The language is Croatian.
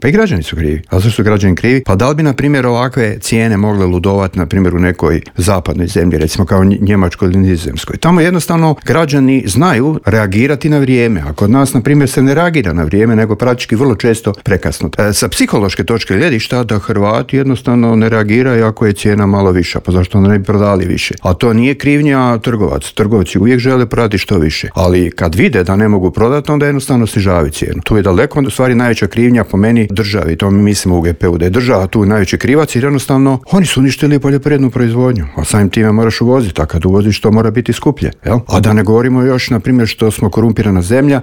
Pa i građani su krivi. A zašto su građani krivi? Pa da li bi, na primjer, ovakve cijene mogle ludovati, na primjer, u nekoj zapadnoj zemlji, recimo kao Njemačkoj ili Nizozemskoj? Tamo jednostavno građani znaju reagirati na vrijeme. A kod nas, na primjer, se ne reagira na vrijeme, nego praktički vrlo često prekasno. Sa psihološke točke gledišta da Hrvati jednostavno ne reagiraju ako je cijena malo viša, pa zašto ne bi prodali više? A to nije krivnja trgovaca. Trgovci uvijek žele prodati što više. Ali kad vide da ne mogu prodati, onda jednostavno snižavaju cijenu. Tu je daleko, u stvari najveća krivnja po meni državi. To mi mislimo u GP-u da je država tu najveći krivac, jer jednostavno oni su uništili poljoprivrednu proizvodnju. A samim time moraš uvoziti, a kad uvoziš to mora biti skuplje. Jel? A da ne govorimo još, na primjer, što smo korumpirana zemlja